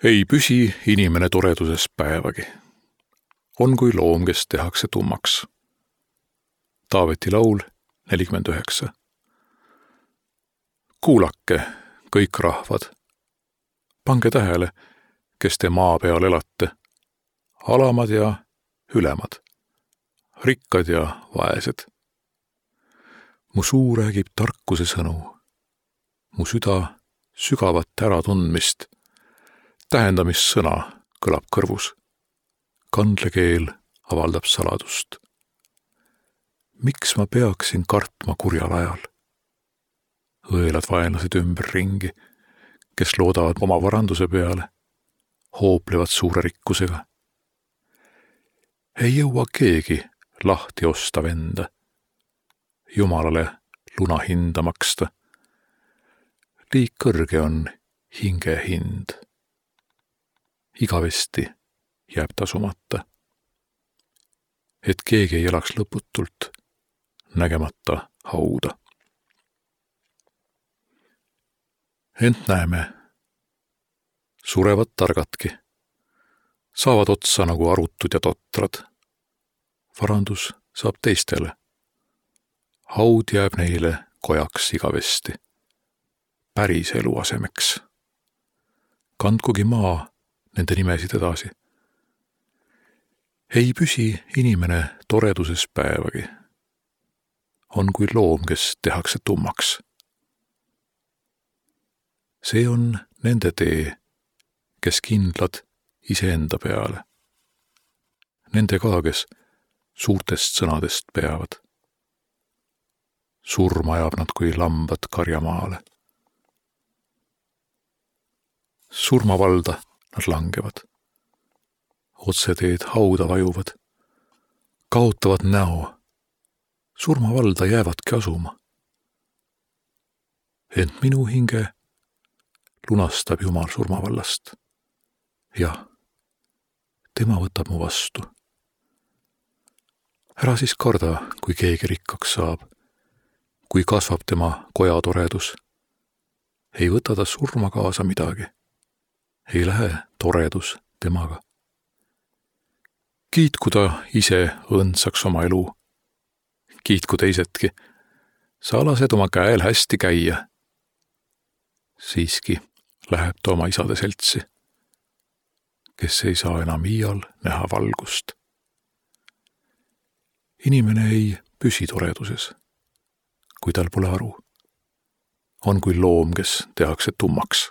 Ei püsi inimene toreduses päevagi. On kui loom, kes tehakse tummaks. Taaveti laul 49. Kuulake, kõik rahvad. Pange tähele, kes te maa peal elate. Alamad ja ülemad. Rikkad ja vaesed. Mu suu räägib tarkuse sõnu. Mu süda sügavat äratundmist. Tähendamissõna kõlab kõrvus. Kandlekeel avaldab saladust. Miks ma peaksin kartma kurjal ajal? Õelad vaenlased ümber ringi, kes loodavad oma varanduse peale, hooplevad suure rikkusega. Ei jõua keegi lahti osta venda, Jumalale luna hinda maksta. Liig kõrge on hinge hind. Igavesti jääb tasumata. Et keegi ei elaks lõputult, nägemata hauda. Ent näeme, surevad targadki, saavad otsa nagu arutud ja totrad. Varandus saab teistele. Haud jääb neile kojaks igavesti, päris elu asemeks. Kandkugi maa nende nimesid edasi. Ei püsi inimene toreduses päevagi. On kui loom, kes tehakse tummaks. See on nende tee, kes kindlad iseenda peale. Nende ka, kes suurtest sõnadest peavad. Surma ajab nad kui lambad karjamaale. Surmavalda nad langevad. Otseteed hauda vajuvad. Kaotavad näo. Surmavalda jäävadki asuma. Ent minu hinge lunastab Jumal surmavallast. Jah, tema võtab mu vastu. Ära siis karda, kui keegi rikkaks saab, kui kasvab tema koja toredus. Ei võta ta surma kaasa midagi. Ei lähe toredus temaga. Kiitku ta ise õndsaks oma elu. Kiitku teisedki. Sa lased oma käel hästi käia. Siiski läheb ta oma isade seltsi, kes ei saa enam iial näha valgust. Inimene ei püsi toreduses, kui tal pole aru. On kui loom, kes tehakse tummaks.